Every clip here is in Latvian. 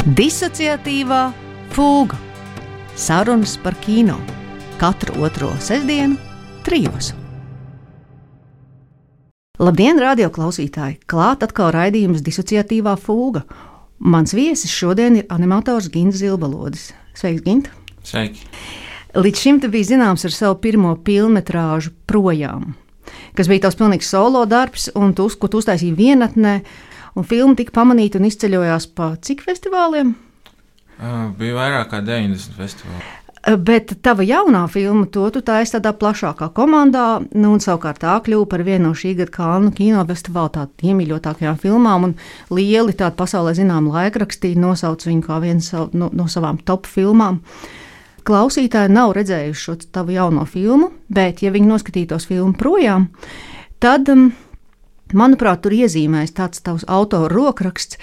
Disociatīvā fūga. Sarunas par kino. Katru otro sestdienu, 3. Labdien, radio klausītāji! Klāt atkal raidījums Disociatīvā fūga. Mans viesis šodien ir animators Gints Zilbalodis. Sveiks, Gint! Sveiki! Līdz šim te bija zināms ar savu pirmo pilnmetrāžu Projām, kas bija tavs pilnīgs solo darbs, un ko tu uztaisīji vienatnē, un filma tika pamanīta un izceļojās pa cik festivāliem? Bija vairāk kā 90 festivāli. Bet tava jaunā filma, to tu taisi tādā plašākā komandā, un savukārt tā kļuva par vienu no šī gada Kannu kinofestivāla tādu iemīļotākajām filmām, un lieli tādu pasaulē zinām laikrakstī nosauc viņu kā vienu no savām top filmām. Klausītāji nav redzējuši šo tavu jauno filmu, bet, ja viņi noskatītos filmu Projām, tad, manuprāt, tur iezīmēs tāds tavs autora rokraksts,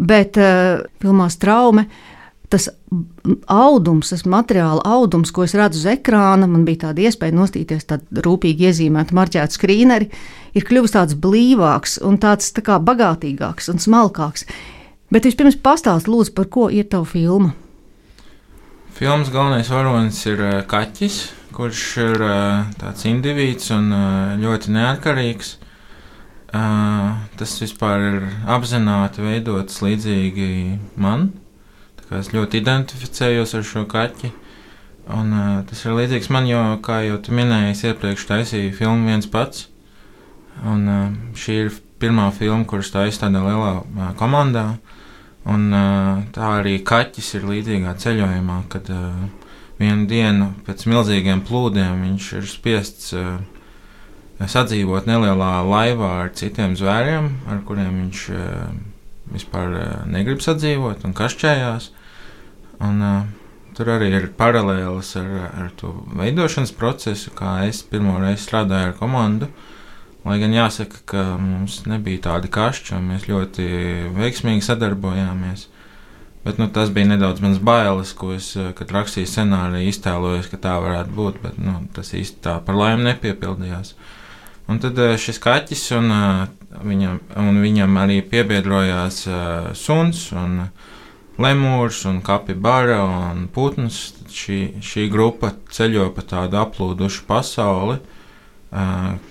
bet filmā Straume tas audums, tas materiāla audums, ko es redzu uz ekrāna, man bija tāda iespēja nostīties tādu rūpīgi iezīmētu marķētu skrīneri, ir kļuvis tāds blīvāks un tāds tā kā bagātīgāks un smalkāks. Bet vispirms pastāst lūdzu, par ko ir tava filma? Filmas galvenais varonis ir kaķis, kurš ir tāds indivīds un ļoti neatkarīgs. Tas vispār ir apzināti veidots līdzīgi man. Es ļoti identificējos ar šo kaķi. Un, tas ir līdzīgs man, jo, kā jau tu minēji, es iepriekš taisīju filmu viens pats. Un, šī ir pirmā filma, kuras taisa tādā lielā komandā. Un, tā arī kaķis ir līdzīgā ceļojumā, kad vienu dienu pēc milzīgiem plūdiem viņš ir spiests sadzīvot nelielā laivā ar citiem zvēriem, ar kuriem viņš vispār negrib sadzīvot un kašķējās. Un, tur arī ir paralēlis ar to veidošanas procesu, kā es pirmo reizi strādāju ar komandu. Lai gan jāsaka, ka mums nebija tādi kašķi, un mēs ļoti veiksmīgi sadarbojāmies. Bet tas bija nedaudz mans bailes, ko es, kad rakstīju scenāriju, iztēlojos, ka tā varētu būt, bet tas īsti tā par laimi nepiepildījās. Un tad šis kaķis, un viņam arī piebiedrojās suns, un lemūrs, un kapibara, un putns. Šī grupa ceļo pa tādu aplūdušu pasauli,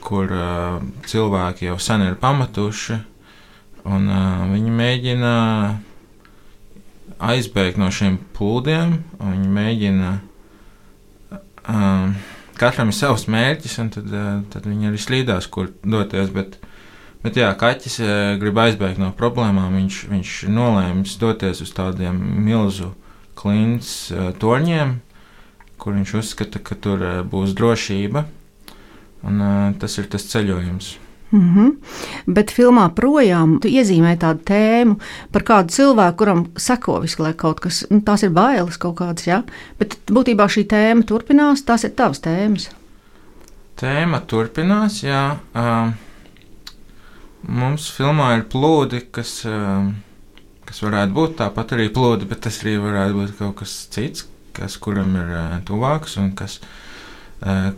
kur cilvēki jau sen ir pamatuši, un viņi mēģina aizbēgt no šiem plūdiem, un viņi mēģina katram ir savs mērķis, un tad viņi arī slīdās, kur doties, bet jā, kaķis grib aizbēgt no problēmām, viņš nolēmis doties uz tādiem milzu klints torņiem, kur viņš uzskata, ka tur būs drošība. Un, tas ir tas ceļojums. Bet filmā Projām tu iezīmēji tādu tēmu par kādu cilvēku, kuram seko visu laiku kaut kas. Tās ir bailes kaut kādas, jā? Bet būtībā šī tēma turpinās, tās ir tavas tēmas. Tēma turpinās, jā. Mums filmā ir plūdi, kas varētu būt tāpat arī plūdi, bet tas arī varētu būt kaut kas cits, kuram ir tuvāks un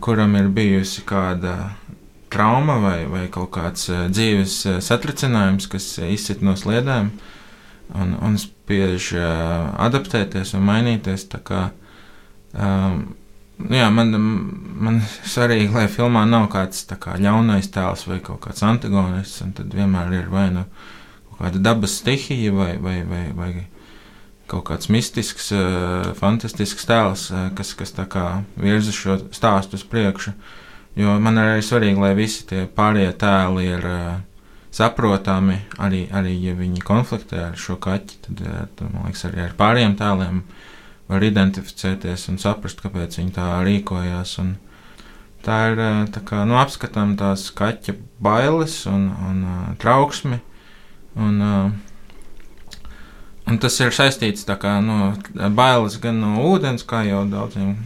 kuram ir bijusi kāda trauma vai kaut kāds dzīves satricinājums, kas izsit no sliedēm un spiež adaptēties un mainīties. Tā kā, jā, man svarīgi, lai filmā nav kāds tā kā ļaunais tēls vai kaut kāds antagonists, un tad vienmēr ir vai kaut kāda dabas stihija vai kaut kāds mistisks, fantastisks tēls, kas tā kā virza šo stāstu uz priekšu. Jo man arī svarīgi, lai visi tie pārējie tēli ir saprotami, arī ja viņi konfliktē ar šo kaķi, tad man liekas, arī ar pārējiem tēliem var identificēties un saprast, kāpēc viņi tā rīkojās. Un tā ir tā kā, apskatām tās kaķa bailes un trauksmi, un tas ir saistīts tā kā bailes gan no ūdens, kā jau daudziem,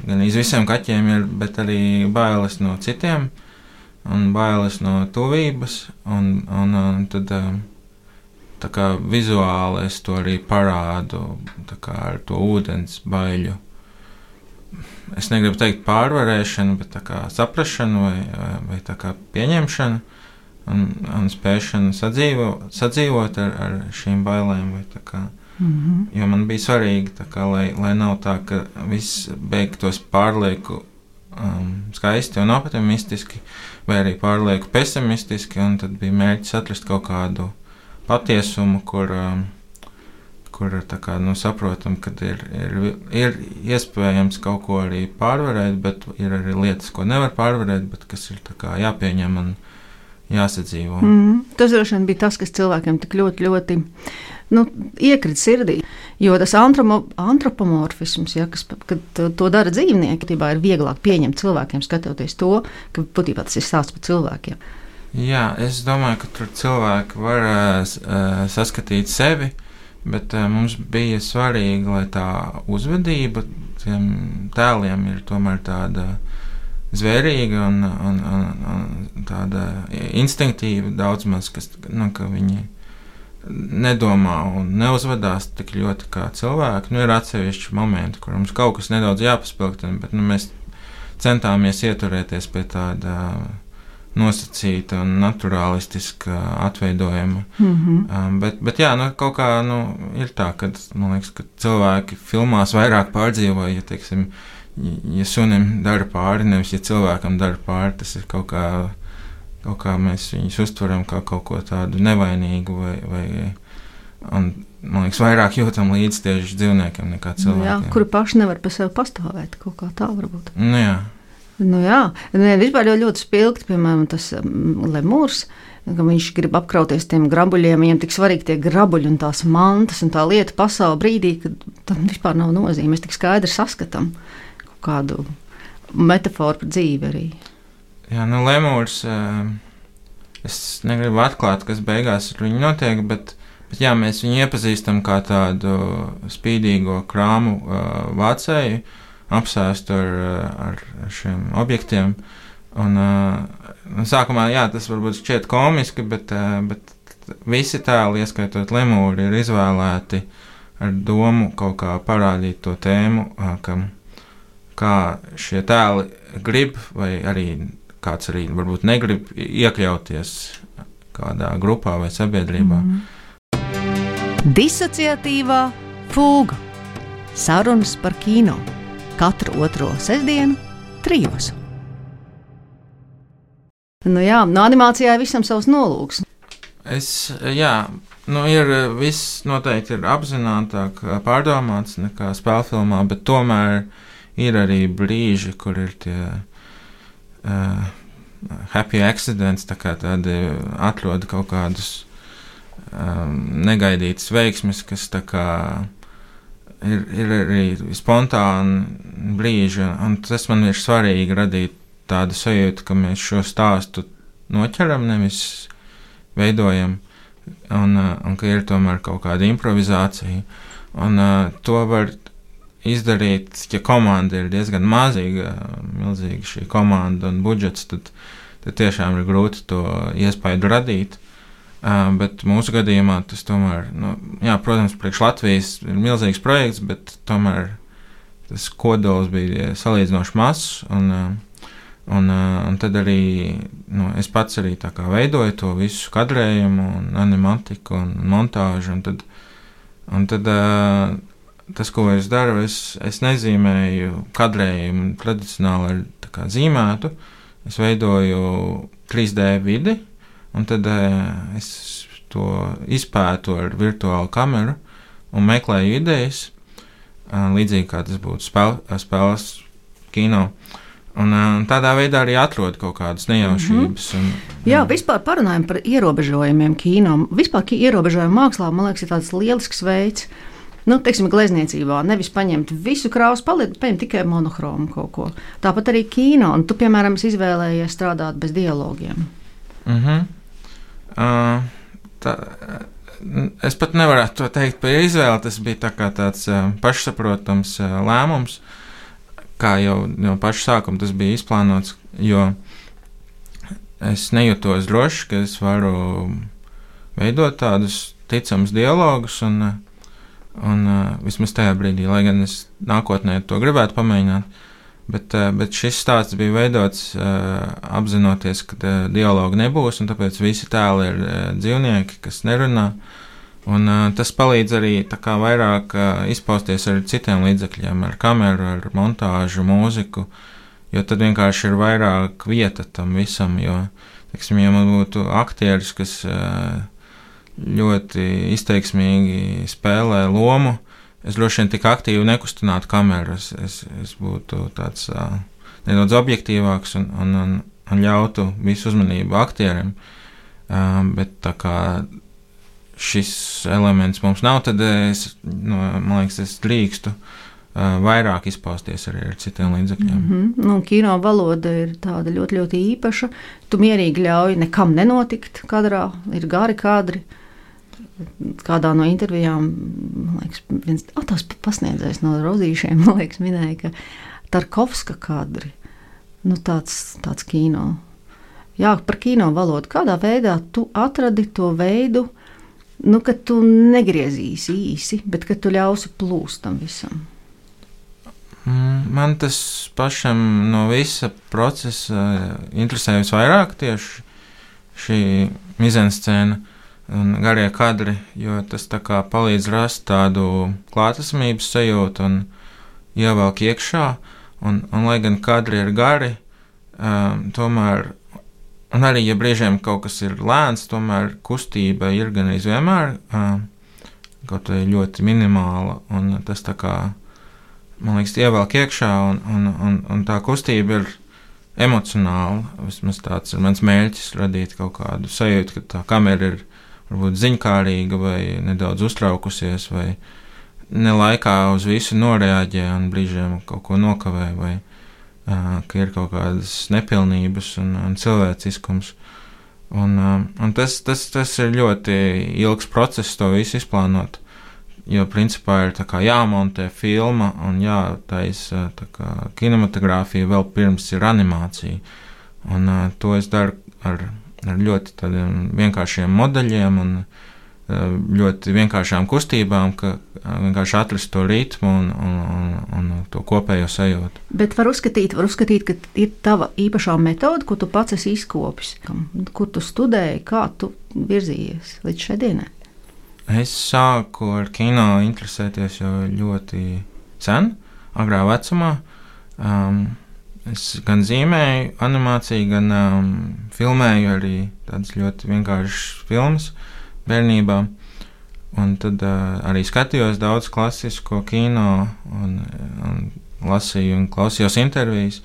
gan visiem kaķiem ir, bet arī bailes no citiem, un bailes no tuvības, un tad tā kā vizuāli es to arī parādu, tā kā ar to ūdens baiļu. Es negribu teikt pārvarēšanu, bet tā kā saprašanu vai tā kā pieņemšanu, un spēšanu sadzīvot ar šīm bailēm, vai tā kā Jo man bija svarīgi, lai nav tā, ka viss beigtos pārlieku skaisti un optimistiski, vai arī pārlieku pesimistiski, un tad bija mērķis atrast kaut kādu patiesumu, kur tā kā, saprotam, ka ir iespējams kaut ko arī pārvarēt, bet ir arī lietas, ko nevar pārvarēt, bet kas ir tā kā jāpieņem un jāsadzīvo. Tas droši vien bija tas, kas cilvēkiem tik ļoti, ļoti iekrita sirdī. Jo tas antropomorfisms, kad to dara dzīvnieki, būtībā ir vieglāk pieņemt cilvēkiem, skatoties to, ka būtībā tas ir stāsts par cilvēkiem. Jā, es domāju, ka tur cilvēki var saskatīt sevi, bet mums bija svarīgi, lai tā uzvedība tiem tēliem ir tomēr tāda zvērīga un tāda instinktīva daudz maz, ka viņi nedomā un neuzvedās tik ļoti kā cilvēki. Ir atsevišķi momenti, kur mums kaut kas nedaudz jāpaspilgtina, bet mēs centāmies ieturēties pie tāda nosacīta un naturālistiska atveidojuma. Bet jā, kaut kā ir tā, ka man liekas, ka cilvēki filmās vairāk pārdzīvo, ja, teiksim, ja sunim dara pāri, nevis ja cilvēkam dara pāri, tas ir kaut kā mēs viņus uztveram kā kaut ko tādu nevainīgu vai un, man liekas, vairāk jūtam līdz tieši dzīvniekiem nekā cilvēkiem. Jā, kuri paši nevar pa sevi pastāvēt, kaut kā tā varbūt. Jā. Vispār ļoti spilgti, piemēram, tas lemūrs, ka viņš grib apkrauties tiem grabuļiem, viņam tik svarīgi tie grabuļi un tās mantas un tā lieta pasaule brīdī, kad tam vispār nav nozīme. Mēs tik skaidri saskatām kaut kādu metaforu par dzīvi arī. Jā, lemūrs, es negribu atklāt, kas beigās ar viņu notiek, bet jā, mēs viņu iepazīstam kā tādu spīdīgo krāmu vācēju, apsēstu ar šiem objektiem. Un sākumā, jā, tas varbūt šķiet komiski, bet visi tēli, ieskaitot lemūri, ir izvēlēti ar domu kaut kā parādīt to tēmu, kā šie tēli grib, vai arī kāds arī varbūt negrib iekļauties kādā grupā vai sabiedrībā. Disociatīvā fūga. Sarunas par kino. Katru otro sestdienu 3. Animācijā visam savs nolūks. Viss noteikti ir apzinātāk pārdomāts nekā spēlfilmā, bet tomēr ir arī brīži, kur ir tie happy accidents, tā kā tādi atrod kaut kādus negaidītas veiksmes, kas tā kā ir arī spontāni brīži, un tas man ir svarīgi radīt tādu sajūtu, ka mēs šo stāstu noķeram, nevis veidojam, un ka ir tomēr kaut kāda improvizācija. Un to var izdarīt, ja komanda ir diezgan mazīga, milzīga šī komanda un budžets, tad tiešām ir grūti to iespaidu radīt. Bet mūsu gadījumā tas tomēr, protams, priekš Latvijas ir milzīgs projekts, bet tomēr tas kodols bija salīdzinoši mazs, un tad arī es pats arī tā kā veidoju to visu kadrējumu un animatiku un montāžu, un tad tas, ko es daru, es nezīmēju kadrējumu tradicionāli ar tā kā zīmētu, es veidoju 3D vidi, un tad es to izpētu ar virtuālu kameru un meklēju idejas, līdzīgi kā tas būtu spēles kino. Un tādā veidā arī atrod kaut kādas nejaušības. Jā, vispār parunājam par ierobežojumiem kino. Vispār ierobežojumu mākslā, man liekas, ir tāds lielisks veids. Teiksim, glezniecībā nevis paņemt visu krāsu, paņemt tikai monohromu kaut ko. Tāpat arī kino, un tu, piemēram, izvēlējies strādāt bez dialogiem. Es pat nevarētu to teikt par izvēli, tas bija tāds pašsaprotams lēmums, kā jau no paša sākuma tas bija izplānots, jo es nejūtos droši, ka es varu veidot tādus ticamus dialogus, un vismaz tajā brīdī, lai gan es nākotnē to gribētu pamēģināt, bet šis stāsts bija veidots apzinoties, ka dialogu nebūs, un tāpēc visi tēli ir dzīvnieki, kas nerunā, Un tas palīdz arī tā kā vairāk izpausties ar citiem līdzekļiem, ar kameru, ar montāžu, mūziku, jo tad vienkārši ir vairāk vieta tam visam, jo, teiksim, ja man būtu aktieris, kas ļoti izteiksmīgi spēlē lomu, es droši vien tik aktīvi nekustinātu kameru, es būtu tāds nedaudz objektīvāks un ļautu visu uzmanību aktierim, bet tā kā šis elements mums nav, tad man liekas, es drīkstu vairāk izpausties arī ar citiem līdzekļiem. Kino valoda ir tāda ļoti, ļoti īpaša. Tu mierīgi ļauj nekam nenotikt kadrā, ir gari kadri. Kādā no intervijām, man liekas, viens tās pasniedzējs no Rozīšiem, man liekas, minēja, ka Tarkovska kadri, tāds kino. Jā, par kino valodu. Kādā veidā tu atradi to veidu, ka tu negriezīsi īsi, bet ka tu ļausi plūst tam visam? Man tas pašam no visa procesa interesē visvairāk tieši šī mizenscēna un garie kadri, jo tas tā kā palīdz rast tādu klātesamības sajūtu un ievelk iekšā, un lai gan kadri ir gari, tomēr, un arī, ja brīžiem kaut kas ir lēns, tomēr kustība ir gan vienmēr kaut vai ļoti minimāla, un tas tā kā, man liekas, ievelk iekšā, un tā kustība ir emocionāla. Vismaz tāds ir mans mērķis, radīt kaut kādu sajūtu, ka tā kamera ir varbūt ziņkārīga vai nedaudz uztraukusies, vai ne laikā uz visu noreaģē un brīžiem kaut ko nokavē, vai ka ir kaut kādas nepilnības un cilvēciskums. Un tas ir ļoti ilgs process to visu izplānot, jo principā ir tā kā jāmontē filma un jātaisa tā kā kinematogrāfija vēl pirms ir animācija. Un to es daru ar ļoti tādiem vienkāršiem modeļiem un ļoti vienkāršām kustībām, ka vienkārši atrast to ritmu un to kopējo sajūtu. Bet var uzskatīt, ka ir tava īpašā metode, ko tu pats esi izkopis, kur tu studēji, kā tu virzījies līdz šai dienai? Es sāku ar kino interesēties jau ļoti sen, agrā vecumā. Es gan zīmēju animāciju, gan filmēju arī tādas ļoti vienkāršas filmas bērnībā, un tad arī skatījos daudz klasisko kino un lasīju un klausījos intervijas,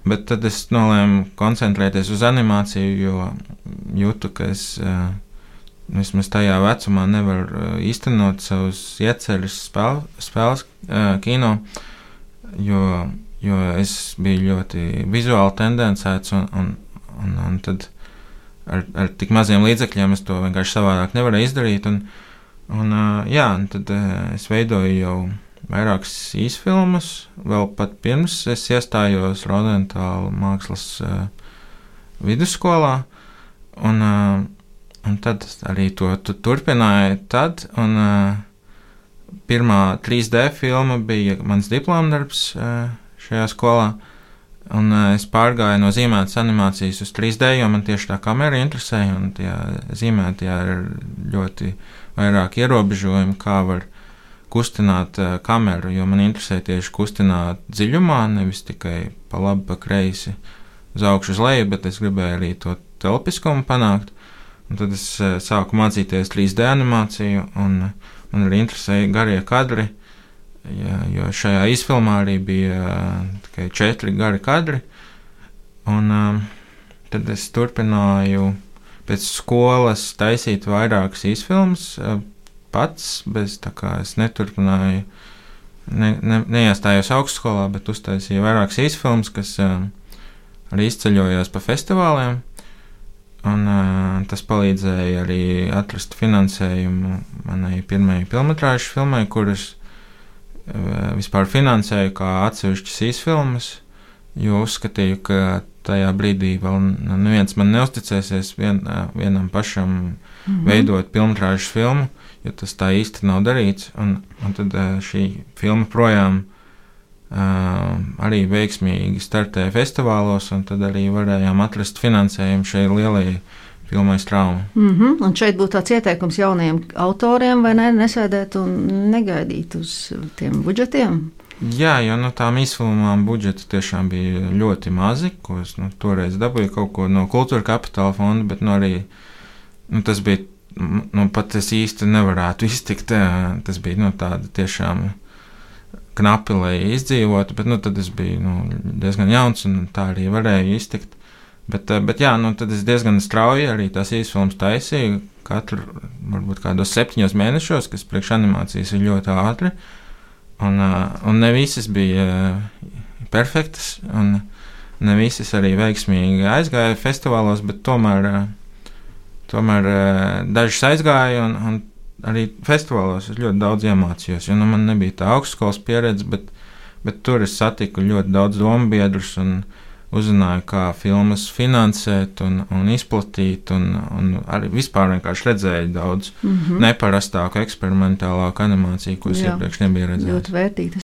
bet tad es nolēmu koncentrēties uz animāciju, jo jūtu, ka es vismaz tajā vecumā nevaru īstenot savus ieceļus spēles kino, jo es biju ļoti vizuāli tendencēts un tad ar tik maziem līdzekļiem es to vienkārši savādāk nevarēju izdarīt. Un tad es veidoju jau vairākas īsfilmas, vēl pat pirms es iestājos Rodentāla mākslas vidusskolā, un tad arī to turpināju tad, un pirmā 3D filma bija mans diplomdarbs šajā skolā. Un es pārgāju no zīmētas animācijas uz 3D, jo man tieši tā kamera interesēja, un tajā zīmētajā ir ļoti vairāk ierobežojumi, kā var kustināt kameru, jo man interesē tieši kustināt dziļumā, nevis tikai pa labi, pa kreisi, uz augšu, uz leju, bet es gribēju arī to telpiskumu panākt. Un tad es sāku mācīties 3D animāciju, un man arī interesēja garie kadri, jo šajā izfilmā arī bija tikai 4 gari kadri, un tad es turpināju pēc skolas taisīt vairākas izfilmas pats, bez tā kā es neturpināju, neiestājos augstskolā, bet uztaisīju vairākas izfilmas, kas arī izceļojās pa festivāliem, un tas palīdzēja arī atrast finansējumu manai pirmajai filmetrāžu filmai, kuras vispār finansēju kā atsevišķas īsfilmas, jo uzskatīju, ka tajā brīdī vēl neviens man neusticēsies vienam pašam veidot filmetrāžu filmu, jo tas tā īsti nav darīts, un tad šī filma projām arī veiksmīgi startēja festivālos, un tad arī varējām atrast finansējumu šai lielajai filmai Strauma. Un šeit būtu tāds ieteikums jauniem autoriem, vai ne, nesēdēt un negaidīt uz tiem budžetiem? Jā, jo tām izfilmām budžeti tiešām bija ļoti mazi, ko es toreiz dabūju kaut ko no Kultūra Kapitāla fonda, bet arī tas bija, pat es īsti nevarētu iztikt, tas bija tāda tiešām knapi, lai izdzīvotu, bet tad es biju diezgan jauns un tā arī varēju iztikt. Bet jā, tad es diezgan strauji arī tās īsfilmas taisīju, katru, varbūt kādos 7 mēnešos, kas priekš animācijas ir ļoti ātri. Un ne visas bija perfektas, un ne visas arī veiksmīgi aizgāja festivālos, bet tomēr dažas aizgāja, un arī festivālos es ļoti daudz iemācījos, jo man nebija tā augstskolas pieredze, bet tur es satiku ļoti daudz dombiedrus un uzzināju, kā filmas finansēt un izplatīt, un arī vispār vienkārši redzēju daudz neparastāku, eksperimentālāku animāciju, ko es iepriekš nebiju redzējis. Ļoti vērtīgas.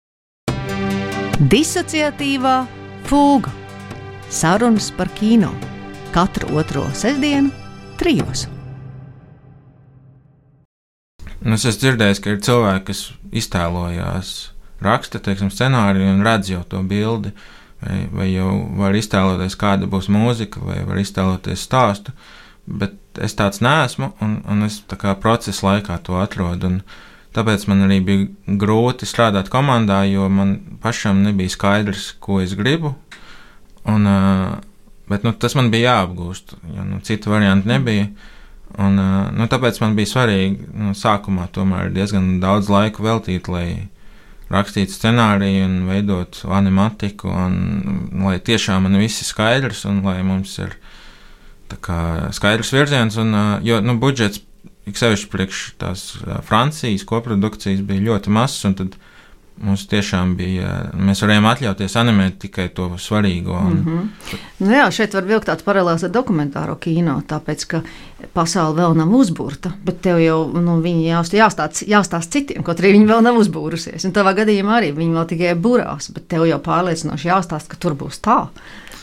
Disociatīvā fūga. Sarunas par kino. Katru otro sestdienu 3. Es esmu dzirdējis, ka ir cilvēki, kas iztēlojās, raksta, scenāriju un redz jau to bildi, vai jau var iztēloties, kāda būs mūzika, vai var iztēloties stāstu, bet es tāds neesmu, un es tā kā procesa laikā to atrodu, un tāpēc man arī bija grūti strādāt komandā, jo man pašam nebija skaidrs, ko es gribu, bet tas man bija jāapgūst, jo citu variantu nebija, un tāpēc man bija svarīgi sākumā tomēr diezgan daudz laika veltīt, lai rakstīt scenāriju un veidot animatiku, un lai tiešām man viss ir skaidrs, un lai mums ir tā kā skaidrs virziens, jo budžets, ik sevišķi priekš tās Francijas koprodukcijas bija ļoti mazs, un tad mums tiešām bija, mēs varējām atļauties animēt tikai to svarīgo. Jā, šeit var vilkt tāds paralēls ar dokumentāro kino, tāpēc, ka pasaule vēl nav uzburta, bet tev jau viņi jāstāsta citiem, kaut arī viņi vēl nav uzbūrusies. Un tavā gadījumā arī viņi vēl tikai burās, bet tev jau pārliecinoši jāstāsta, ka tur būs tā.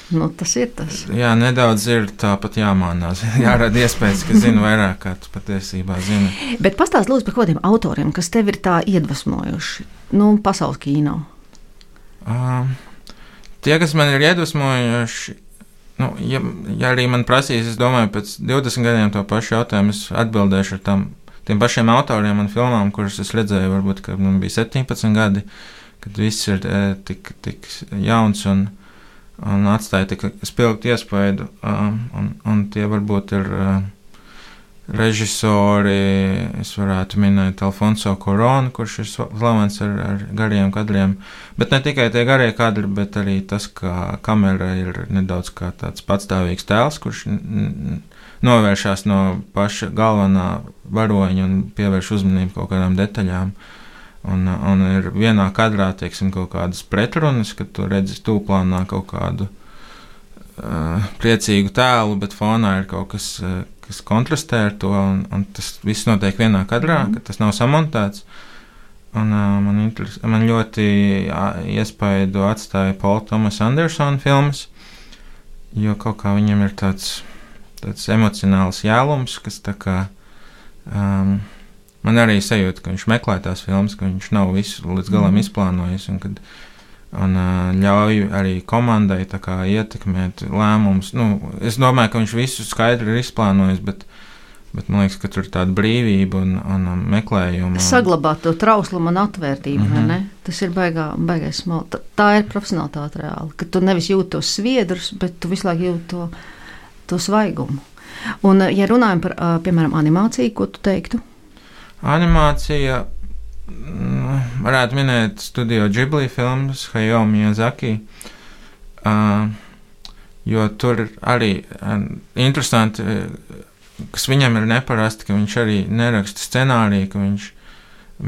Tas ir tas. Jā, nedaudz ir tāpat jāmānās. Jārada iespējas, ka zinu vairāk, kā tu patiesībā zini. Bet pastāst lūdzu par kādiem autoriem, kas tev ir tā iedvesmojuši, pasaules kino. Tie, kas man ir iedvesmojuši, ja arī man prasīs, es domāju, pēc 20 gadiem to pašu jautājumu es atbildēšu ar tiem pašiem autoriem un filmām, kuras es redzēju, varbūt, kad man bija 17 gadi, kad viss ir tik jauns un atstāja tik spilgtu iespaidu, un tie varbūt ir režisori, es varētu minēt Alfonso Cuarón, kurš ir slavens ar gariem kadriem, bet ne tikai tie garie kadri, bet arī tas, ka kamera ir nedaudz kā tāds patstāvīgs tēls, kurš novēršās no paša galvenā varoņa un pievērš uzmanību kaut kādām detaļām. Un ir vienā kadrā, kaut kādas pretrunas, kad tu redzi tūplānā kaut kādu priecīgu tēlu, bet fonā ir kaut kas, kas kontrastē ar to, un tas viss notiek vienā kadrā, ka tas nav samontēts. Un man ļoti iespaidu atstāja Paula Thomas Andersona filmas, jo kaut kā viņam ir tāds emocionāls jēlums, kas tā kā man arī sajūta, ka viņš meklē tās filmas, ka viņš nav visu līdz galam izplānojis, un ļauj arī komandai tā kā ietekmēt lēmumus. Es domāju, ka viņš visu skaidri ir izplānojis, bet man liekas, ka tur ir tāda brīvība un meklējuma. Saglabāt to trauslumu un atvērtību, vai ne? Tas ir baigais smalki. Tā ir profesionalitāte reāli, ka tu nevis jūti tos sviedrus, bet tu visu laiku jūti to svaigumu. Un, ja runājam par, piemēram, animāciju, ko tu teiktu? Animācija, varētu minēt Studio Ghibli filmas, Hayao Miyazaki, jo tur arī interesanti, kas viņam ir neparasti, ka viņš arī neraksta scenāriju, ka viņš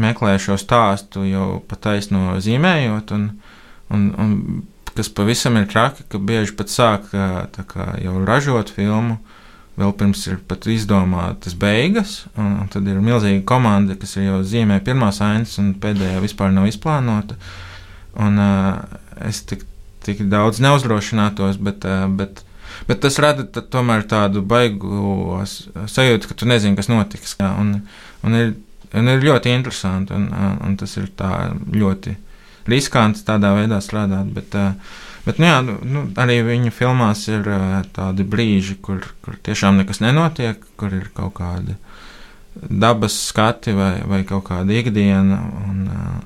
meklē šo stāstu jau pataisno zīmējot, un kas pavisam ir traki, ka bieži pat sāk tā kā jau ražot filmu, vēl pirms ir pat izdomātas beigas, un tad ir milzīga komanda, kas ir jau zīmē pirmās ainas, un pēdējā vispār nav izplānota. Un es tik daudz neuzdrošinātos, bet Bet tas rada tomēr tādu baigu sajūtu, ka tu nezini, kas notiks. Jā, un ir ļoti interesanti, un tas ir tā ļoti riskanti tādā veidā strādāt. Bet jā, arī viņa filmās ir tādi brīži, kur tiešām nekas nenotiek, kur ir kaut kādi dabas skati vai kaut kāda ikdiena,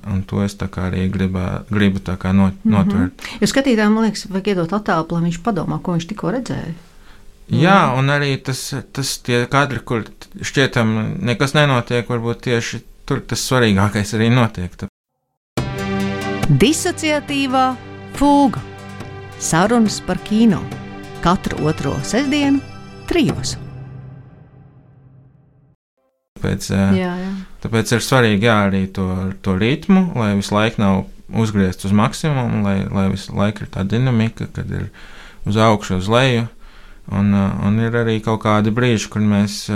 un to es tā kā arī gribu tā kā notvert. Jo skatītājiem, man liekas, vajag iedot attēlu, lai viņš padomā, ko viņš tikko redzēja. Jā, un arī tas tie kadri, kur šķietam nekas nenotiek, varbūt tieši tur tas svarīgākais arī notiek. Disociatīvā fūga. Sarunas par kino. Katru otro sestdienu 3. Tāpēc ir svarīgi arī to ritmu, lai visu laiku nav uzgriezts uz maksimumu, lai visu laiku ir tā dinamika, kad ir uz augšu, uz leju. Un ir arī kaut kādi brīži, kur mēs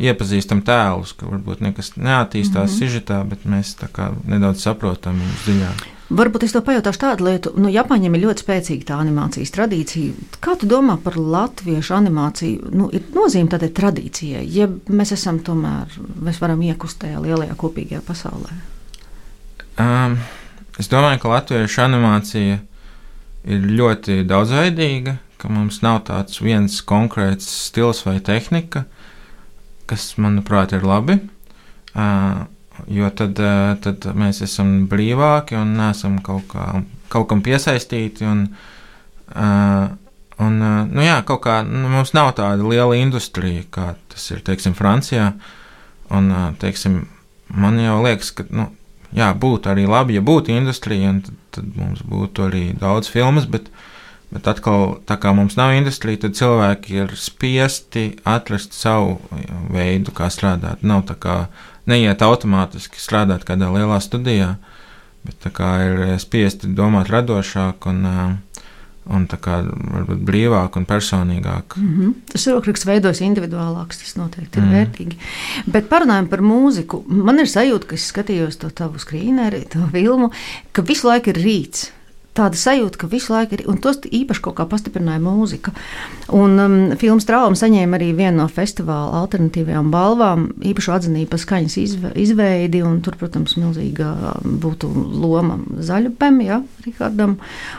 iepazīstam tēlus, ka varbūt nekas neattīstās sižetā, bet mēs tā kā nedaudz saprotam viņus dziļāk. Varbūt es to pajautāšu tādu lietu. Japāņiem ir ļoti spēcīga tā animācijas tradīcija. Kā tu domā par latviešu animāciju? Ir nozīme tādai tradīcijai, ja mēs varam iekust tajā lielajā kopīgajā pasaulē? Es domāju, ka latviešu animācija ir ļoti daudzveidīga, ka mums nav tāds viens konkrēts stils vai tehnika, kas, manuprāt, ir labi. Jo tad mēs esam brīvāki un neesam kaut kam piesaistīti. Kaut kā mums nav tāda liela industrija, kā tas ir, teiksim, Francijā. Un, teiksim, man jau liekas, ka, būtu arī labi, ja būtu industrija, un tad mums būtu arī daudz filmas, bet atkal, tā kā mums nav industrija, tad cilvēki ir spiesti atrast savu veidu, kā strādāt. Nav tā kā neiet automātiski strādāt kādā lielā studijā, bet tā kā ir spiesti domāt radošāk un tā kā varbūt brīvāk un personīgāk. Tas rokraksts veidojas individuālāks, tas noteikti ir vērtīgi. Bet parunājam par mūziku. Man ir sajūta, ka es skatījos to tavu skrīneri, to filmu, ka visu laiku ir rīts. Tāda sajūta, ka visu laiku ir, un tos īpaši kaut kā pastiprināja mūzika. Un filmas Trauma saņēma arī vienu no festivāla alternatīvajām balvām, īpašu atzinību par skaņas izveidi, un tur, protams, milzīga būtu loma Zaļupem, Rihardam,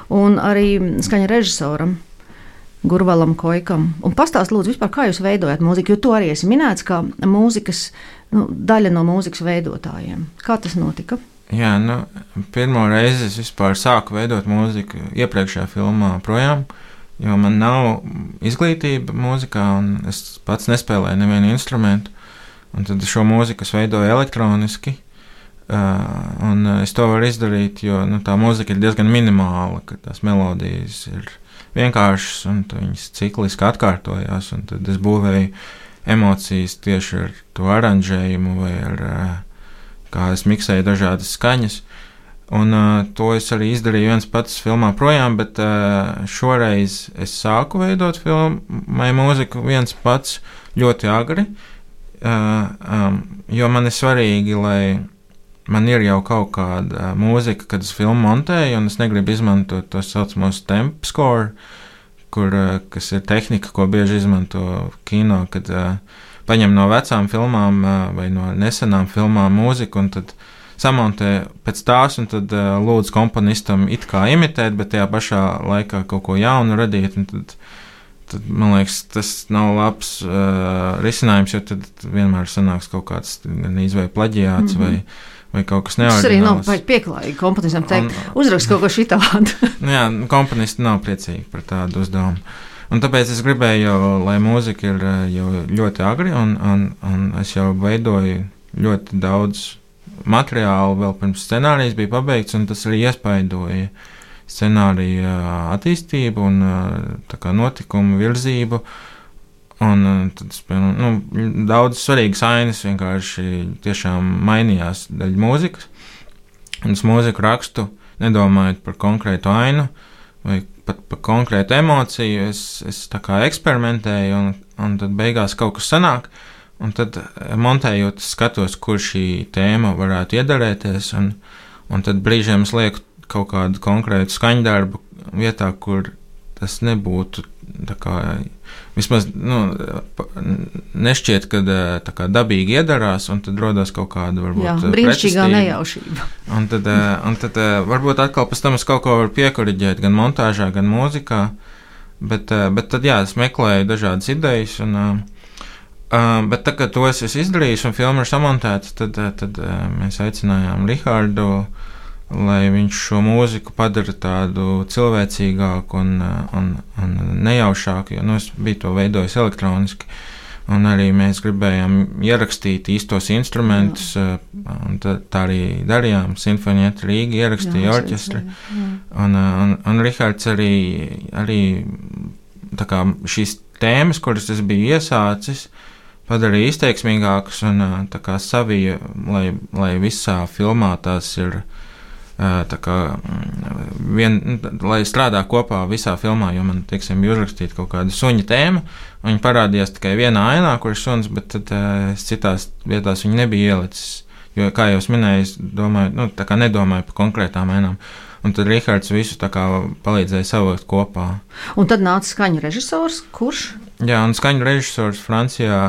un arī skaņa režisoram Gurvalam Koikam. Un pastāst lūdzu vispār, kā jūs veidojat mūziku, jo to arī esi minēts, kā mūzikas, daļa no mūzikas veidotājiem. Kā tas notika? Jā, pirmo reizi es vispār sāku veidot mūziku iepriekšējā filmā projām, jo man nav izglītība mūzikā, un es pats nespēlēju nevienu instrumentu. Un tad šo mūziku es veidoju elektroniski, un es to varu izdarīt, jo tā mūzika ir diezgan minimāla, ka tās melodijas ir vienkāršas, un viņas cikliski atkārtojās, un tad es būvēju emocijas tieši ar to aranžējumu vai ar kā es miksēju dažādas skaņas, un to es arī izdarīju viens pats filmā projām, bet šoreiz es sāku veidot filmai mūziku viens pats ļoti agri, jo man ir svarīgi, lai man ir jau kaut kāda mūzika, kad es filmu montēju, un es negribu izmantot to saucamos temp score, kas ir tehnika, ko bieži izmanto kino, kad paņem no vecām filmām vai no nesenām filmām mūziku un tad samontē pēc tās un tad lūdz komponistam it kā imitēt, bet tajā pašā laikā kaut ko jaunu radīt. Un tad man liekas, tas nav labs risinājums, jo tad vienmēr sanāks kaut kāds gan izvēj plaģiāts vai kaut kas neordināls. Tas arī nav pieklājīgi komponistam teikt, uzrakst kaut ko šitādu. Jā, komponisti nav priecīgi par tādu uzdevumu. Un tāpēc es gribēju, lai mūzika ir jau ļoti agri, un es jau veidoju ļoti daudz materiālu vēl pirms scenārijas bija pabeigts, un tas arī iespaidoja scenārija attīstību un tā kā notikumu virzību. Un tad, daudz svarīgas ainas vienkārši tiešām mainījās daļa mūzikas. Un es mūziku rakstu nedomājot par konkrētu ainu vai pat par konkrētu emociju, es tā kā eksperimentēju, un tad beigās kaut kas sanāk, un tad montējot skatos, kur šī tēma varētu iedarēties, un tad brīžiem es lieku kaut kādu konkrētu skaņdarbu vietā, kur tas nebūtu tā kā vismaz nešķiet, ka tā kā dabīgi iedarās, un tad rodas kaut kāda varbūt brīnišķīgā nejaušība. Un tad varbūt atkal pēc tam es kaut ko varu piekoriģēt gan montāžā, gan mūzikā, bet tad es meklēju dažādas idejas, bet tā, kad to es izdarīju un filma ir samontēta, tad mēs aicinājām Rihardu, lai viņš šo mūziku padara tādu cilvēcīgāku un nejaušāku, jo es biju to veidojis elektroniski, un arī mēs gribējām ierakstīt īstos instrumentus, un tā arī darījām. Sinfonieta Rīga ierakstīja orķestri, un Rihards arī tā kā šīs tēmas, kuras es biju iesācis, padarīja izteiksmīgākas un tā kā savija, lai visā filmā tās ir tā kā lai strādā kopā visā filmā, jo man, teiksim, bija uzrakstīta kaut kāda suņa tēma, un viņa parādījās tikai vienā ainā, kur ir suns, bet tad citās vietās viņa nebija ielicis, jo, kā jau es minēju, es domāju, tā kā nedomāju par konkrētām ainām, un tad Rihards visu tā kā palīdzēja savākt kopā. Un tad nāca skaņu režisors, kurš? Jā, un skaņu režisors Francijā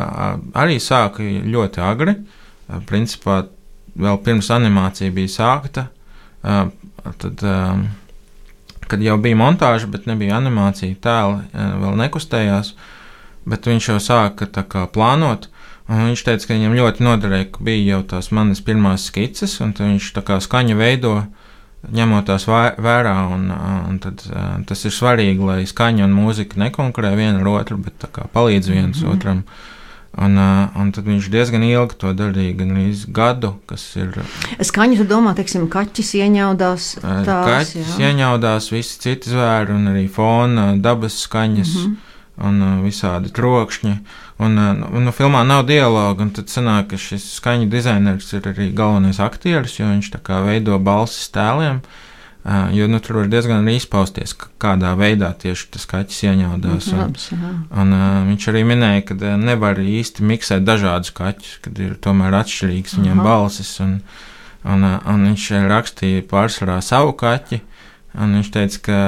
arī sāka ļoti agri, principā vēl pirms animācija bija sākta, tad, kad jau bija montāža, bet nebija animācija, tēli vēl nekustējās, bet viņš jau sāka tā kā plānot, un viņš teica, ka viņam ļoti noderēja, ka bija jau tās manas pirmās skices, un tad viņš tā kā skaņu veido, ņemot tās vērā, un tad tas ir svarīgi, lai skaņa un mūzika nekonkurē viena ar otru, bet tā kā palīdz viens otram. Un tad viņš diezgan ilgi to darīja, gan arī gadu, kas ir... Skaņu, tu domā, teiksim, kaķis ieņaudās tās, kaķis ieņaudās, visi citi zvēri, un arī fona, dabas skaņas, un visādi trokšņi. Un filmā nav dialoga, un tad sanāk, ka šis skaņu dizainers ir arī galvenais aktieris, jo viņš tā kā veido balsis tēliem, jo tur var diezgan arī izpausties, kādā veidā tieši tas kaķis ieņaudās. Un viņš arī minēja, ka nevar īsti miksēt dažādus kaķus, kad ir tomēr atšķirīgs viņam balsis, un viņš rakstīja pārsvarā savu kaķi, un viņš teica, ka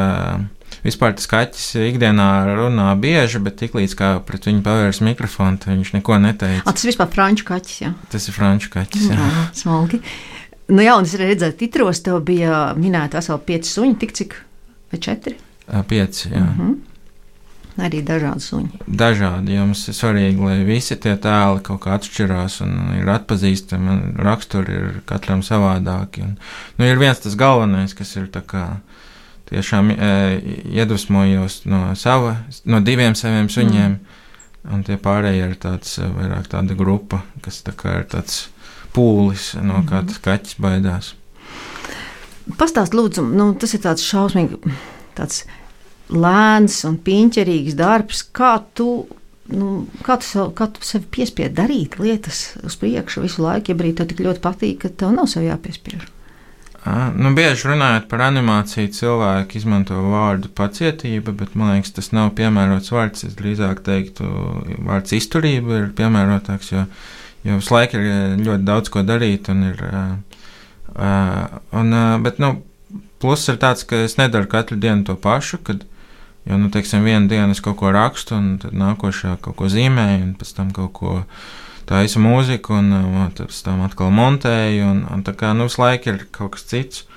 vispār tas kaķis ikdienā runā bieži, bet tiklīdz kā pret viņu pavērs mikrofonu, tad viņš neko neteica. Tas ir vispār franču kaķis, jā? Tas ir franču kaķis, jā. Smalki. Nu jā, un es redzēju, titros tev bija minēta veseli 5 suņi, tik cik? Vai 4? 5, jā. Arī dažādi suņi. Dažādi, jo mums ir svarīgi, lai visi tie tēli kaut kā atšķirās un ir atpazīstami, un raksturi ir katram savādāki. Ir viens tas galvenais, kas ir tā kā tiešām iedvesmojos no 2 saviem suņiem, un tie pārējie ir vairāk tāda grupa, kas tā kā ir tāds pūlis, no kā tas kaķis baidās. Pastāst, lūdzu, tas ir tāds šausmīgi, tāds lēns un piņķerīgs darbs. Kā tu sevi piespied darīt lietas uz priekšu visu laiku, ja brīd tev tik ļoti patīk, ka tev nav sev jāpiespiež? Bieži runājot par animāciju, cilvēki izmanto vārdu pacietība, bet man liekas, tas nav piemērots vārds. Es drīzāk teiktu, vārds izturība ir piemērotāks, jo visu laiku ir ļoti daudz ko darīt, bet pluss ir tāds, ka es nedaru katru dienu to pašu, jo, teiksim, vienu dienu es kaut ko rakstu, un tad nākošā kaut ko zīmēju, un pēc tam kaut ko taisu mūziku, un pēc tam atkal montēju, un tā kā, visu laiku ir kaut kas cits.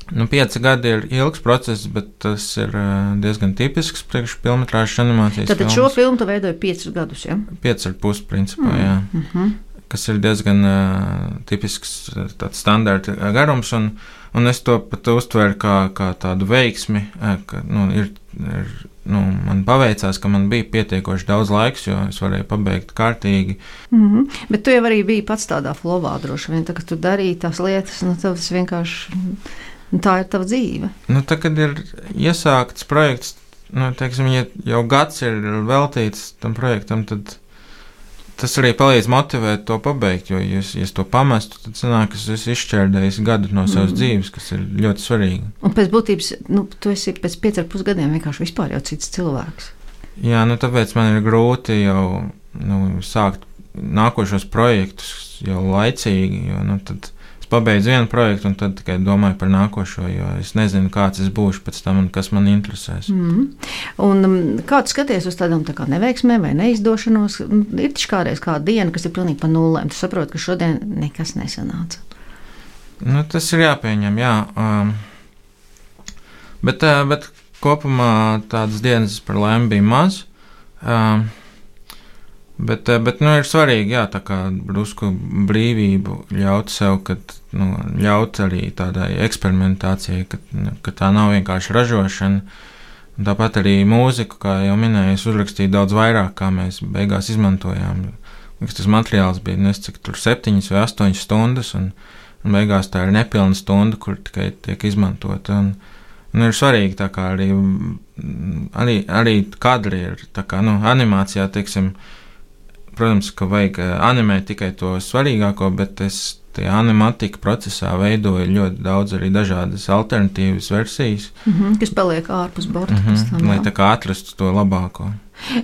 5 gadi ir ilgs process, bet tas ir diezgan tipisks priekš filmetrāžas animācijas filmas. Tad šo filmu tu veidoji 5 gadus, ja? 5,5 principā, jā. Kas ir diezgan tipisks tāds standarta garums, un es to pat uztveru kā tādu veiksmi, ka, man paveicās, ka man bija pietiekoši daudz laiks, jo es varēju pabeigt kārtīgi. Bet tu jau arī biji pats tādā flowā droši vien, tā, ka tu darīji tās lietas, tas vienkārši... Tā ir tava dzīve. Tā, kad ir iesākts projekts, teiksim, ja jau gads ir veltīts tam projektam, tad tas arī palīdz motivēt to pabeigt, jo, ja es to pamestu, tad sanāk, ka es izšķērdējis gadu no savas dzīves, kas ir ļoti svarīgi. Un pēc būtības, tu esi pēc 5,5 gadiem vienkārši vispār jau cits cilvēks. Jā, tāpēc man ir grūti jau sākt nākošos projektus jau laicīgi, jo, tad es pabeidzu vienu projektu un tad tikai domāju par nākošo, jo es nezinu, kāds es būšu pēc tam un kas man interesēs. Un kā tu skaties uz tādām tā kā neveiksmēm vai neizdošanos? Ir taču kādreiz kāda diena, kas ir pilnīgi pa nullēm. Tu saproti, ka šodien nekas nesanāca. Tas ir jāpieņem, jā. Bet kopumā tādas dienas par laimi bija maz. Bet ir svarīgi, jā, tā kā drusku brīvību ļaut sev, ļaut arī tādai eksperimentācijai, ka tā nav vienkārši ražošana. Un tāpat arī mūziku, kā jau minēju, es uzrakstīju daudz vairāk, kā mēs beigās izmantojām. Tas materiāls bija, cik tur 7 vai 8 stundas, un beigās tā ir nepilna stunda, kur tikai tiek izmantota. Un ir svarīgi, tā kā arī kadri ir, tā kā, animācijā, teiksim, protams, ka vajag animēt tikai to svarīgāko, bet es tajā animatika procesā veidoju ļoti daudz arī dažādas alternatīvas versijas. Kas paliek ārpus borta. Lai tā kā atrastu to labāko.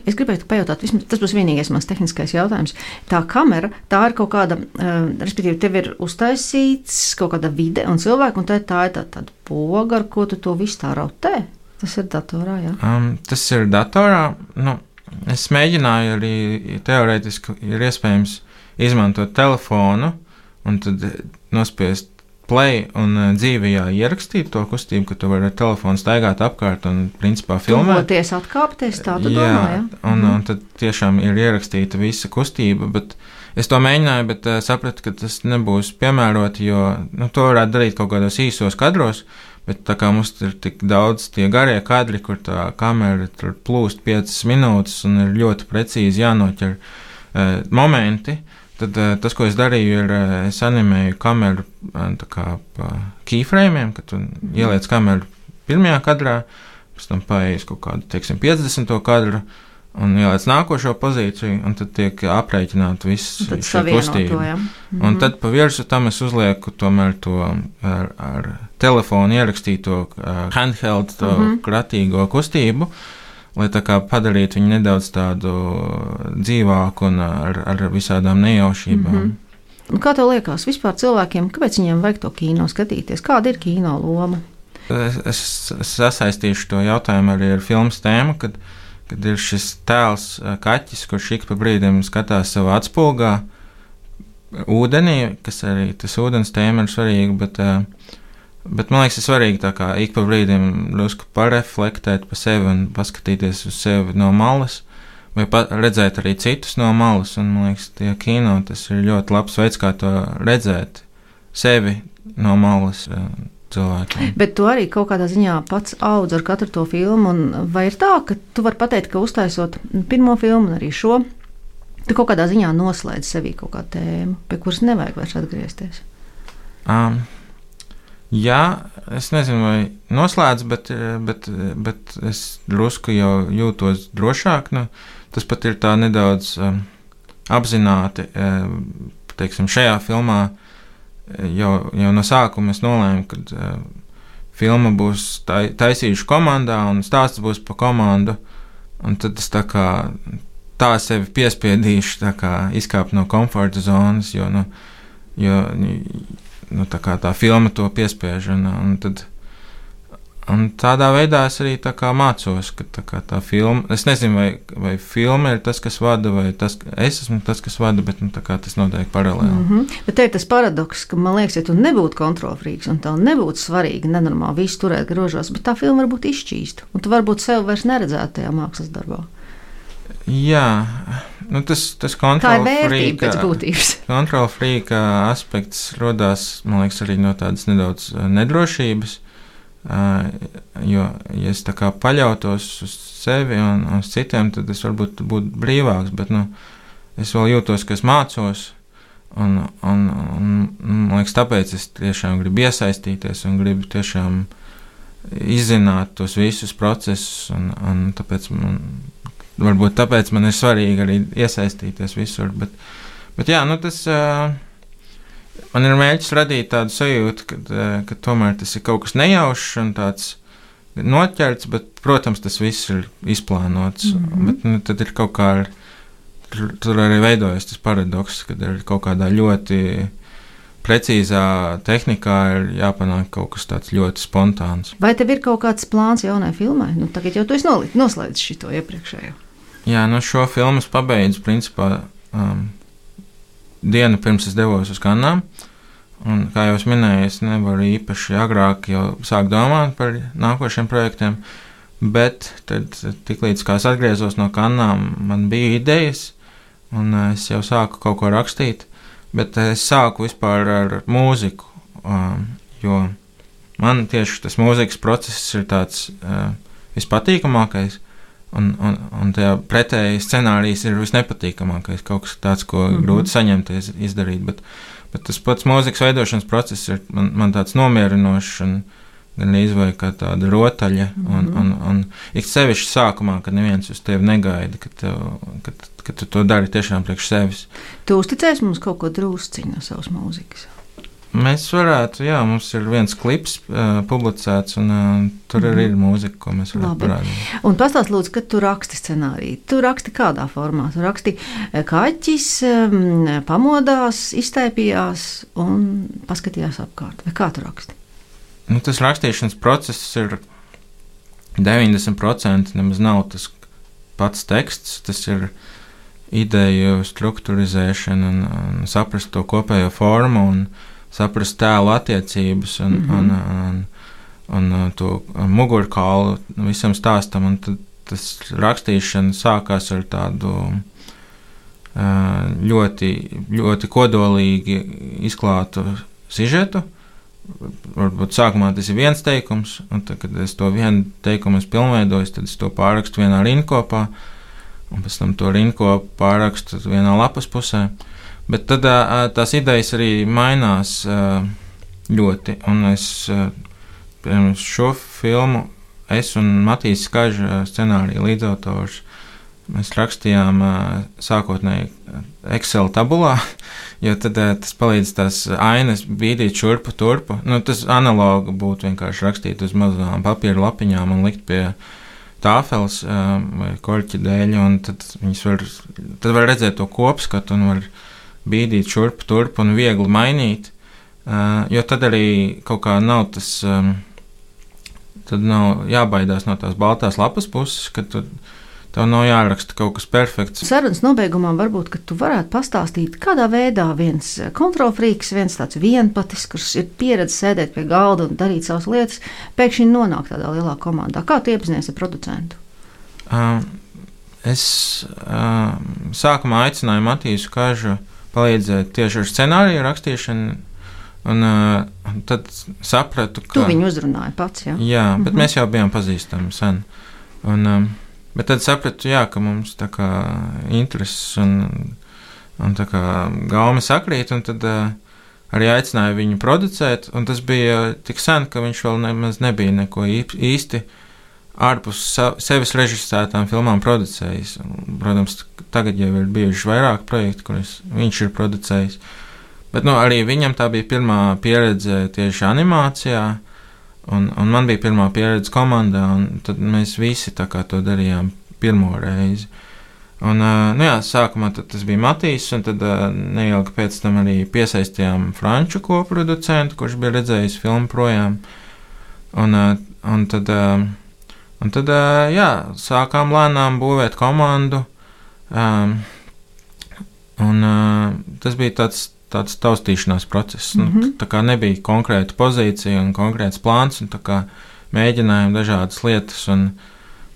Es gribēju pajautāt, tas būs vienīgais mans tehniskais jautājums. Tā kamera, tā ir kaut kāda, respektīvi, tev ir uztaisīts kaut kāda vide un cilvēki, un tā ir tāda poga, ar ko tu to visu tā rotē. Tas ir datorā, jā? Tas ir datorā. Es mēģināju arī teorētiski ir iespējams izmantot telefonu un tad nospiest play un dzīvajā ierakstīt to kustību, ka tu vari ar telefonu staigāt apkārt un principā filmēt. Tuvoties, atkāpties, tā tu domā, jā? Un tad tiešām ir ierakstīta visa kustība, bet es to mēģināju, bet sapratu, ka tas nebūs piemēroti, jo to varētu darīt kaut kādos īsos kadros, bet tā kā mums ir tik daudz tie garie kadri, kur tā kamera tur plūst 5 minūtes un ir ļoti precīzi jānoķer momenti, tad tas, ko es darīju, ir es animēju kameru tā kā pa keyframeiem, kad tu ieliec kameru pirmajā kadrā, pēc tam paejas kaut kādu, teiksim, 50. kadru un ieliec nākošo pozīciju, un tad tiek aprēķināta viss šī kustība. Un tad pa virsu tam es uzlieku tomēr to ar telefonu ierakstīto handheld, to kratīgo kustību, lai tā kā padarītu viņu nedaudz tādu dzīvāku un ar visādām nejaušībām. Kā tev liekas vispār cilvēkiem, kāpēc viņiem vajag to kino skatīties? Kāda ir kino loma? Es sasaistīšu to jautājumu arī ar filmas tēmu, kad ir šis tēls kaķis, kurš ik pa brīdim skatās savā atspulgā ūdenī, kas arī tas ūdens tēma ir svarīga, bet man liekas, ir svarīgi tā kā ik pa brīdim drusku pareflektēt pa sevi un paskatīties uz sevi no malas, vai redzēt arī citus no malas, un man liekas, tie kino, tas ir ļoti labs veids, kā to redzēt sevi no malas cilvēkiem. Bet tu arī kaut kādā ziņā pats audz ar katru to filmu, un vai ir tā, ka tu vari pateikt, ka uztaisot pirmo filmu un arī šo, tu kaut kādā ziņā noslēdz sevī kaut kādu tēmu, pie kuras nevajag vairs atgriezties? Jā, es nezinu, vai noslēdz, bet es drusku jau jūtos drošāk. Tas pat ir tā nedaudz apzināti, teiksim, šajā filmā jau no sākuma es nolēmu, ka filma būs taisījuši komandā un stāsts būs pa komandu, un tad es tā sevi piespiedīšu, tā kā izkāpt no komforta zonas, jo tā kā tā filma to piespiež, un tādā veidā es arī tā kā mācos, ka tā filma, es nezinu, vai filma ir tas, kas vada, vai es esmu tas, kas vada, bet tā kā tas notiek paralēli. Bet te ir tas paradoks, ka man liekas, ja tu nebūtu kontrolfrīks un tev nebūtu svarīgi nenormāli visu turēt grožos, bet tā filma varbūt izšķīstu, un tu varbūt sevi vairs neredzētu tajā mākslas darbā. Jā, tas kontrolfrīka aspekts rodās, man liekas, arī no tādas nedaudz nedrošības, jo, ja es tā kā paļautos uz sevi un uz citiem, tad es varbūt būtu brīvāks, bet, es vēl jūtos, ka es mācos, un man liekas, tāpēc es tiešām gribu iesaistīties un gribu tiešām izzināt tos visus procesus, un tāpēc varbūt tāpēc man ir svarīgi arī iesaistīties visur, bet jā, tas man ir mērķis radīt tādu sajūtu, ka tomēr tas ir kaut kas nejaušs un tāds noķerts, bet, protams, tas viss ir izplānots, bet tad ir kaut kā, tur arī veidojas tas paradoks, kad ir kaut kādā ļoti precīzā tehnikā ir jāpanāk kaut kas tāds ļoti spontāns. Vai tev ir kaut kāds plāns jaunai filmai? Nu, tagad jau tu esi noslēdzis šito iepriekšējo. Jā, šo filmu es pabeidzu principā dienu pirms es devos uz Kannām. Un, kā jau es minēju, es nevaru īpaši agrāk jau sākt domāt par nākošiem projektiem, bet tad tiklīdz kā es atgriezos no Kannām, man bija idejas, un es jau sāku kaut ko rakstīt, bet es sāku vispār ar mūziku, jo man tieši tas mūzikas process ir tāds vispatīkamākais, un tajā pretēji scenārijs ir visnepatīkamākais, kaut kas tāds, ko grūti saņemties, izdarīt, bet tas pats mūzikas veidošanas process ir man tāds nomierinošs un gan izvēja kā tāda rotaļa, un ik sevišķi sākumā, kad neviens uz tevi negaida, ka tu to dari tiešām priekš sevis. Tu uzticēsi mums kaut ko drusciņu no savas mūzikas? Mēs varētu, jā, mums ir viens klips publicēts, un tur arī ir mūzika, ko mēs varētu parādīt. Un pastāst lūdzu, kad tu raksti scenāriju. Tu raksti kādā formā? Tu raksti kaķis, pamodās, iztaipījās un paskatījās apkārt. Vai kā tu raksti? Tas rakstīšanas process ir 90% nemaz nav tas pats teksts, tas ir ideju strukturizēšana un saprast to kopējo formu un saprast tēlu attiecības un to mugurkaulu visam stāstam, un tad tas rakstīšana sākās ar tādu ļoti, ļoti kodolīgi izklātu sižetu. Varbūt sākumā tas ir viens teikums, un tad, kad es to vienu teikumu pilnveidoju, tad es to pārrakstu vienā rindkopā, un pēc tam to rindkopu pārrakstu vienā lapas pusē. Bet tad tās idejas arī mainās ļoti, un es šo filmu, es un Matīs Skaža scenārija līdzautors, mēs rakstījām sākotnēji Excel tabulā, jo tad tas palīdz tās ainas bīdīt šurpu turpu. Tas analogi būtu vienkārši rakstīt uz mazām papīra lapiņām un likt pie tāfeles vai korķa dēļ, un tad var redzēt to kopskatu un var bīdīt šurpu turpu un viegli mainīt, jo tad arī kaut kā nav tas, tad nav jābaidās no tās baltās lapas puses, ka tev nav jāraksta kaut kas perfekts. Sarunas nobeigumā varbūt, ka tu varētu pastāstīt, kādā veidā viens kontrolfrīks, viens tāds vienpatis, kurš ir pieredze sēdēt pie galda un darīt savas lietas, pēkšņi nonāk tādā lielā komandā. Kā tu iepazinies ar producentu? Es sākumā aicināju Matīsu Kažu palīdzēt tieši ar scenāriju rakstīšanu, un tad sapratu, ka... Tu viņu uzrunāji pats, jā? Jā, bet mēs jau bijām pazīstami sen. Bet tad sapratu, jā, ka mums tā kā intereses un tā kā gaumi sakrīt, un tad arī aicināju viņu producēt, un tas bija tik sen, ka viņš vēl nemaz nebija neko īsti ārpus sevis režisētām filmām producējis. Protams, tagad jau ir bijuši vairāk projekti, kurus viņš ir producējis. Bet arī viņam tā bija pirmā pieredze tieši animācijā, un man bija pirmā pieredze komandā, un tad mēs visi tā kā to darījām pirmo reizi. Un, sākumā tas bija Matīs, un tad neilgi pēc tam arī piesaistījām franču koproducentu, kurš bija redzējis filmu projām. Un tad, sākām lēnām būvēt komandu, un tas bija tāds taustīšanās process. Tā kā nebija konkrēta pozīcija un konkrēts plāns, un tā kā mēģinājām dažādas lietas un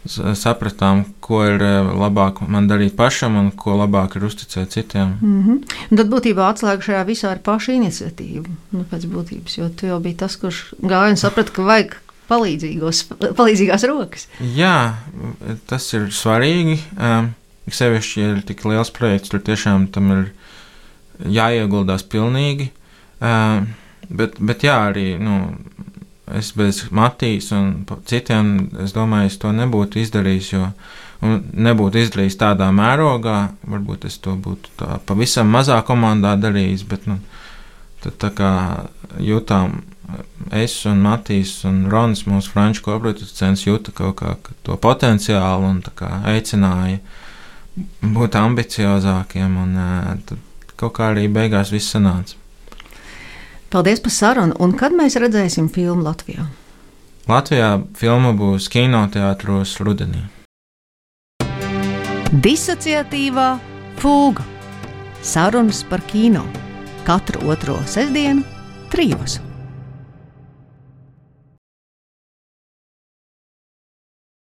sapratām, ko ir labāk man darīt pašam un ko labāk ir uzticēt citiem. Un tad būtībā atslēga šajā visā ir paša iniciatīva, pēc būtības, jo tu jau biji tas, kurš gāja un saprata, ka vajag palīdzīgās rokas. Jā, tas ir svarīgi. Sevišķi, ja ir tik liels projekts, tur tiešām tam ir jāieguldās pilnīgi. Bet jā, arī es bez Matīs un citiem, es domāju, es to nebūtu izdarījis, un nebūtu izdarījis tādā mērogā. Varbūt es to būtu tā pavisam mazā komandā darījis, bet tad tā kā jūtām, es un Matīs un Rons, mūsu franču koproducents, jūta kaut kā to potenciālu un tā kā aicināja būt ambiciozākiem, un tad kaut kā arī beigās viss sanāca. Paldies par sarunu, un kad mēs redzēsim filmu Latvijā? Latvijā filma būs kinoteātros rudenī. Disociatīvā fūga. Sarunas par kino. Katru otro sestdienu 3.